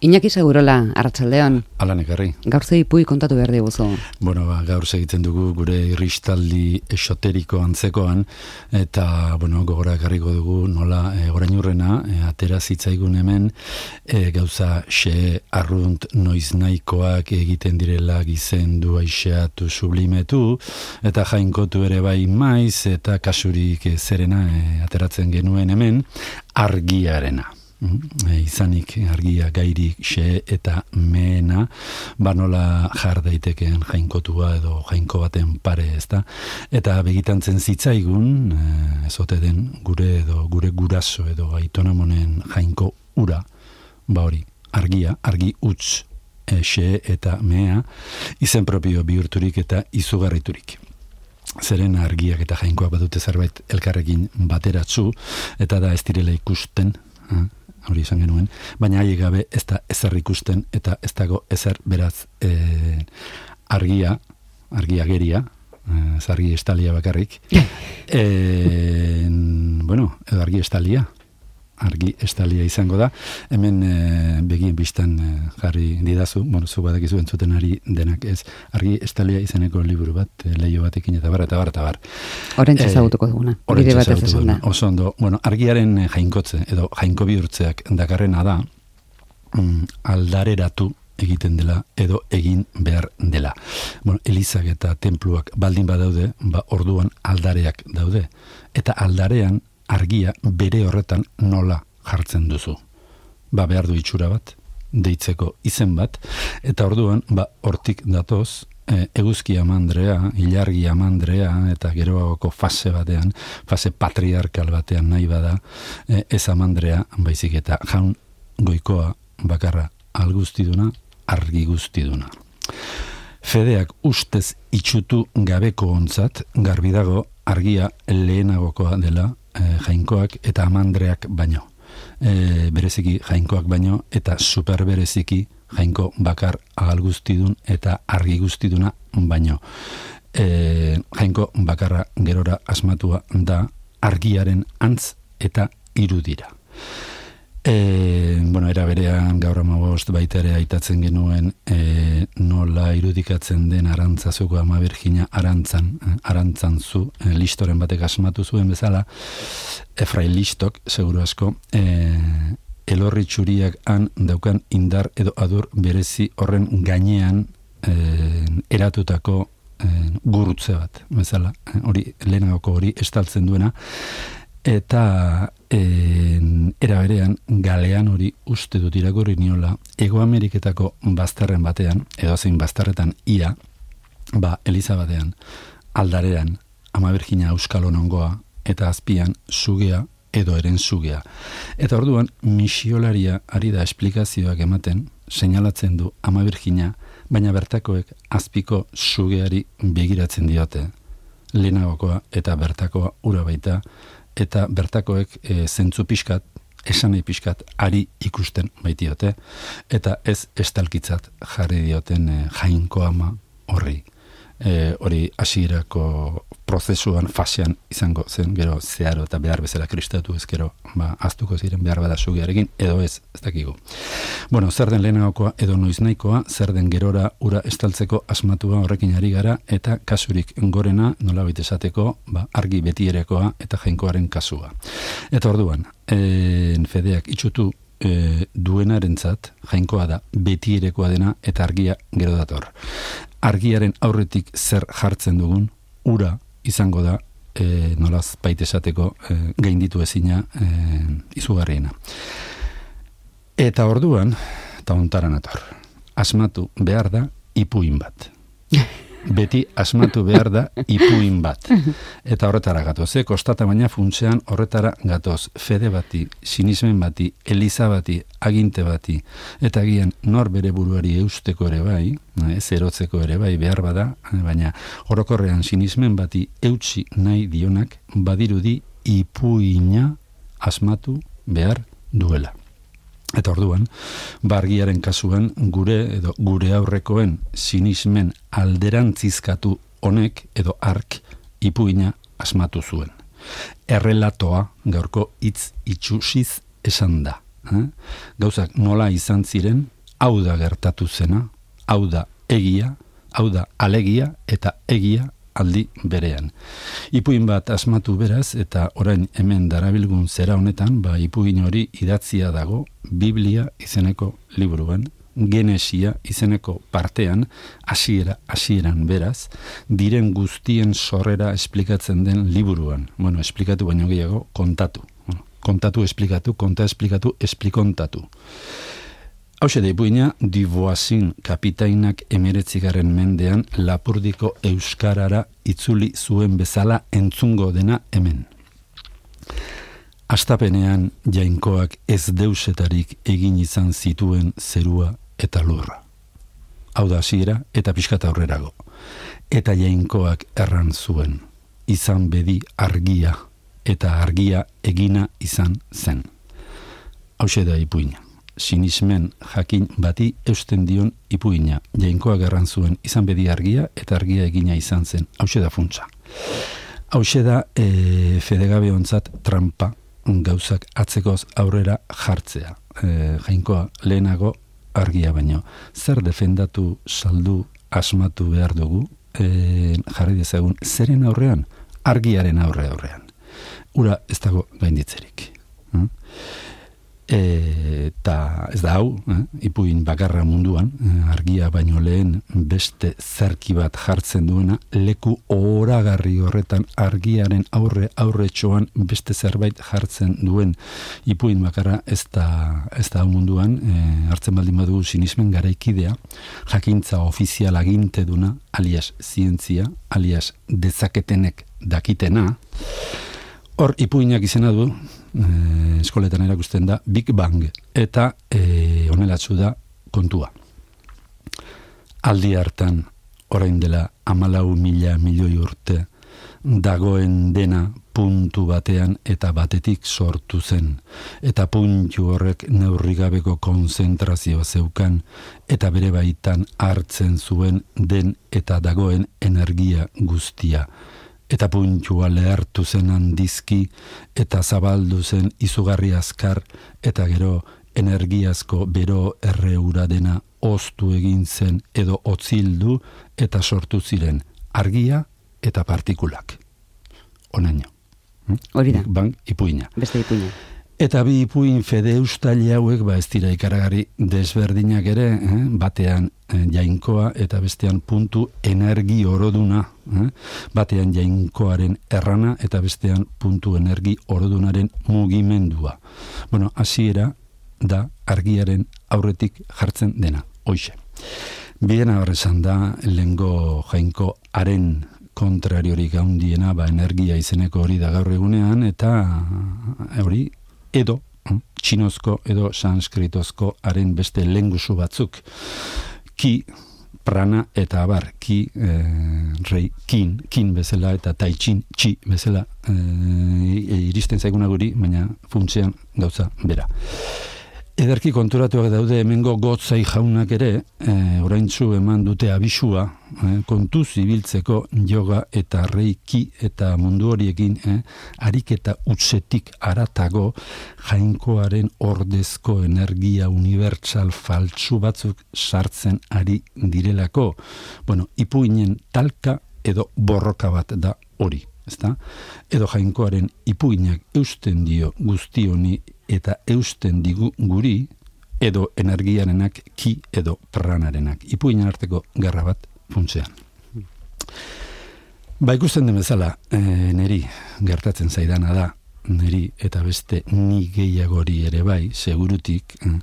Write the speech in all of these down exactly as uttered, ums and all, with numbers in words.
Iñaki Segurola, arratsaldeon. Alan ekarri. Gaur ze ipui kontatu behar diguzu. Bueno, ba, gaur segitzen dugu gure irristaldi esoteriko antzekoan, eta, bueno, gogora ekarriko dugu nola e, orainurrena e, atera zitzaigun hemen e, gauza xe arrunt noiznahikoak egiten direla gizendu aixeatu sublimetu, eta jainkotu ere bai maiz, eta kasurik e, zerena e, ateratzen genuen hemen argiarena. E, izanik argia gairik xe eta meena banola jar daitekeen jainkotua edo jainko baten pare, ezta? Eta begitantzen zitzaigun e, ezote den gure edo gure guraso edo aitonamonen jainko ura, ba hori, argia, argi utz e, xe eta mea izen propio bihurturik eta izugarriturik. Zeren argiak eta jainkoak badute zerbait elkarrekin bateratzu, eta da ez direla ikusten, eh? hori izan genuen, baina haiek gabe ez da ezer ikusten eta ez dago ezer beraz e, argia, argia geria, ez argi estalia bakarrik, e, bueno, edo argi estalia, argi estalia izango da, hemen e, begien biztan e, jarri didazu, bueno, zu badakizu entzuten ari denak ez, argi estalia izeneko liburu bat, e, leio batekin eta bar, eta bar, eta bar. Horentxe ezagutuko duguna, bide batez esan da. Oso ondo, bueno, argiaren jainkotze, edo jainko bihurtzeak dakarrena da, mm, aldareratu egiten dela, edo egin behar dela. Bueno, elizak eta tenpluak baldin badaude, ba orduan aldareak daude, eta aldarean argia bere horretan nola jartzen duzu. Ba behar du itxura bat, deitzeko izen bat, eta orduan, ba hortik datoz, e, eguzki amandrea, ilargi amandrea, eta geroagoko fase batean, fase patriarkal batean nahi bada, e, ez amandrea, baizik eta jaun goikoa bakarra alguztiduna, argi guztiduna. Fedeak ustez itxutu gabeko ontzat, garbi dago argia lehenagokoa dela, E, jainkoak eta amandreak baino. E, bereziki jainkoak baino eta super bereziki jainko bakar agal guztidun eta argi guztiduna baino. E, jainko bakarra gerora asmatua da argiaren antz eta irudira. E, bueno, era berean gaur amabost baita ere aitatzen genuen e, nola irudikatzen den arantzazuko ama Birjina arantzan, eh, arantzan zu, eh, listoren batek asmatu zuen bezala, Efrain Listok, seguru asko, e, elorri txuriak han daukan indar edo adur berezi horren gainean e, eratutako e, gurutze bat, bezala, eh, hori lehenagoko hori estaltzen duena, eta en, era berean galean hori uste dut irakurri niola Hego Ameriketako bazterren batean, edo zein bazterretan ia, ba, Eliza batean, aldarean, ama Birjina euskal onongoa, eta azpian sugea edo eren sugea. Eta orduan, misiolaria ari da esplikazioak ematen, seinalatzen du ama Birjina, baina bertakoek azpiko sugeari begiratzen diote. Lehenagokoa eta bertakoa ura baita, eta bertakoek e, zentzu pixkat, esanei pixkat, ari ikusten baitiote, eta ez estalkitzat jarri dioten e, jainko ama horri. E, hori hasierako prozesuan, fasean izango zen, gero zeharo eta behar bezala kristatu ez gero, ba, aztuko ziren behar bada sugearekin, edo ez, ez dakigu. Bueno, zer den lehenagokoa edo noiznaikoa, zer den gerora ura estaltzeko asmatua horrekin ari gara, eta kasurik gorena, nolabait esateko, ba, argi betierekoa eta jainkoaren kasua. Eta orduan, e, fedeak itxutu e, duenarentzat, jainkoa da, betierekoa dena eta argia gero dator. Argiaren aurretik zer jartzen dugun, ura izango da, e, nolaz baita esateko, e, gainditu ezina e, izugarriena. Eta orduan, eta ontaran ator, asmatu behar da ipuin bat. Beti asmatu behar da ipuin bat. Eta horretara gatoz, eh? Kostata baina funtsean horretara gatoz. Fede bati, sinismen bati, eliza bati, aginte bati, eta gian nor bere buruari eusteko ere bai, ez erotzeko ere bai behar bada, baina orokorrean sinismen bati eutsi nahi dionak badirudi ipuina asmatu behar duela. Eta orduan, bargiaren kasuan gure edo gure aurrekoen sinismen alderantzizkatu honek edo ark ipuina asmatu zuen. Errelatoa gaurko hitz itxusiz esan da. eh? Gauzak nola izan ziren, hau da gertatu zena, hau da egia, hau da alegia eta egia aldi berean. Ipuin bat asmatu beraz, eta orain hemen darabilgun zera honetan, ba, ipuin hori idatzia dago Biblia izeneko liburuan, Genesia izeneko partean, hasiera hasieran beraz, diren guztien sorrera esplikatzen den liburuan. Bueno, esplikatu baino gehiago, kontatu. Kontatu, esplikatu, konta, esplikatu, esplikontatu. Hauxe da ipuina, Duvoisin kapitainak emeretzigarren mendean Lapurdiko euskarara itzuli zuen bezala entzungo dena hemen. Astapenean jainkoak ez deusetarik egin izan zituen zerua eta lurra. Hau da hasiera eta pixkat aurrerago. Eta jainkoak erran zuen, izan bedi argia, eta argia egina izan zen. Hauxe da ipuina. Sinismen jakin bati eusten dion ipuina. Jainkoak erran zuen, izan bedi argia, eta argia egina izan zen. Hauxe da funtsa. Hauxe da e, fedegabe ontzat trampa, gauzak atzekoz aurrera jartzea. E, jainkoa lehenago argia baino. Zer defendatu, saldu, asmatu behar dugu, e, jarri dezagun, zeren aurrean? Argiaren aurre aurrean. Ura ez dago gainditzerik. Hmm? Eta ez da hau, eh? Ipuin bakarra munduan, eh, argia baino lehen beste zerki bat jartzen duena, leku oragarri horretan argiaren aurre aurretxoan beste zerbait jartzen duen ipuin bakarra ez da, ez da hau munduan, eh, hartzen baldin badugu sinismen garaikidea, jakintza ofizial aginteduna, alias zientzia, alias dezaketenek dakitena. Hor ipuinak izena du, eh, eskoletan erakusten da, Big Bang, eta eh, onelatzu da kontua. Aldi hartan, orain dela hamalau mila milioi urte, dagoen dena puntu batean eta batetik sortu zen, eta puntu horrek neurrigabeko konzentrazioa zeukan, eta bere baitan hartzen zuen den eta dagoen energia guztia. Eta puntua lehartu zen handizki, eta zabaldu zen izugarri azkar, eta gero energiazko bero erreura dena oztu egin zen edo otzildu, eta sortu ziren argia eta partikulak. Onaino. Hori da. Bang, ipuina. Beste ipuina. Eta bi ipuin fede eustaile hauek, ba ez dira ikaragarri desberdinak ere, eh? Batean eh, jainkoa eta bestean puntu energi oroduna, eh? Batean jainkoaren errana eta bestean puntu energi orodunaren mugimendua. Bueno, hasiera da argiaren aurretik jartzen dena, hoixe. Bien abarrezan da, lengo jainko haren kontrariorik handiena, ba energia izeneko hori da gaur egunean, eta hori edo txinozko edo sanskritozko haren beste lengusu batzuk, ki, prana eta abar, ki, eh, rei, kin, kin bezala eta taitxin, txi bezala eh, iristen zaiguna guri, baina funtzean gauza bera. Ederki konturatuak daude hemengo gotzai jaunak ere, eh, oraintzu eman dute abisua, eh, kontuz ibiltzeko yoga eta reiki eta mundu horiekin, eh, ariketa utzetik aratago jainkoaren ordezko energia unibertsal faltsu batzuk sartzen ari direlako. Bueno, ipuinen talka edo borroka bat da hori, ezta? Edo jainkoaren ipuinak eusten dio guzti honi eta eusten digu guri, edo energiarenak ki edo pranarenak. Ipuinen arteko gerra bat funtzean. Ba ikusten den bezala, e, neri gertatzen zaidana da, neri eta beste ni gehiagori ere bai, segurutik, e,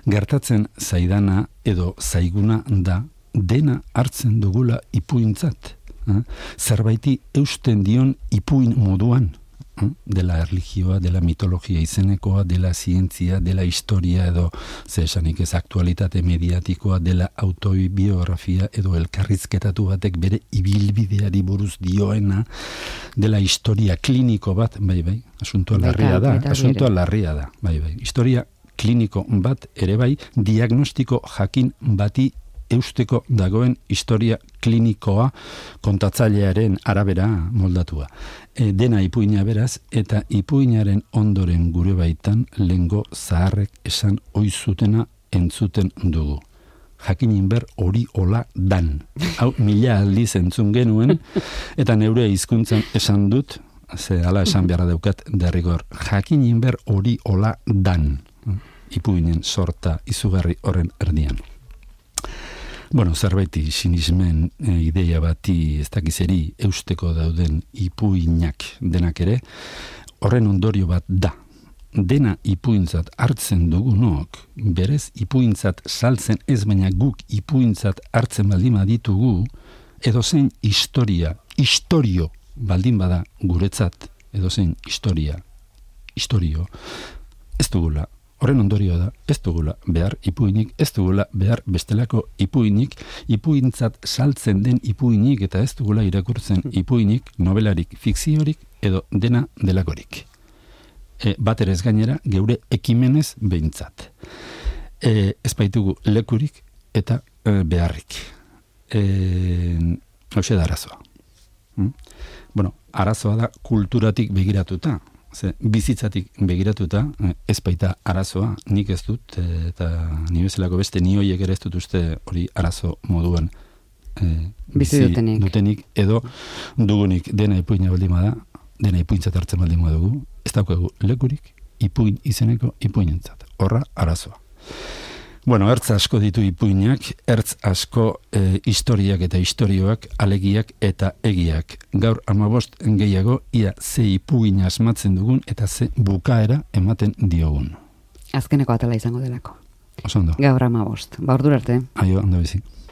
gertatzen zaidana edo zaiguna da dena hartzen dugula ipuintzat. E, zerbaiti eusten dion ipuin moduan, dela erlijioa, dela mitologia izenekoa, dela zientzia, dela historia edo zesanik ez aktualitate mediatikoa, dela autobiografia edo elkarrizketatu batek bere ibilbideari buruz dioena, dela historia kliniko bat, bai bai, asuntoa larria da, asuntoa larria da, bai bai, historia kliniko bat ere bai, diagnostiko jakin bati eusteko dagoen historia klinikoa kontatzailearen arabera moldatua. E, dena ipuina beraz, eta ipuinaren ondoren gure baitan lengo zaharrek esan oizutena entzuten dugu. Jakinin ber hori hola dan. Hau mila aldiz entzun genuen, eta neure hizkuntzan esan dut, ze ala esan beharra daukat derrigor, jakinin ber hori hola dan. Ipuinen sorta izugarri horren erdian. Bueno, zerbaiti sinismen e, ideia bati ez dakizeri eusteko dauden ipuinak denak ere, horren ondorio bat da. Dena ipuintzat hartzen dugunok, berez ipuintzat saltzen ez baina guk ipuintzat hartzen baldin baditugu, edo zein historia, historio baldin bada guretzat, edo zein historia, historio, ez dugula. Horren ondorio da, ez dugula behar ipuinik, ez dugula behar bestelako ipuinik, ipuintzat saltzen den ipuinik, eta ez dugula irakurtzen ipuinik, novelarik, fikziorik, edo dena delakorik. E, bat ere ez gainera, geure ekimenez behintzat. E, ez baitugu lekurik eta e, beharrik. E, Hoxe da arazoa. Hmm? Bueno, arazoa da kulturatik begiratuta. Ze, bizitzatik begiratuta, ez baita arazoa, nik ez dut, eta ni bezalako beste ni hoiek ere ez dut uste hori arazo moduan e, bizi dutenik. dutenik, edo dugunik dena ipuina baldin bada, dena ipuintzat hartzen baldin badugu, ez daukagu lekurik ipuin izeneko ipuinentzat. Horra arazoa. Bueno, ertz asko ditu ipuinak, ertz asko e, historiak eta historioak, alegiak eta egiak. Gaur amabost gehiago, ia ze ipuin asmatzen dugun eta ze bukaera ematen diogun. Azkeneko atala izango delako. Oso ondo. Gaur amabost. Ba, ordura arte. Aio, ondo bizi.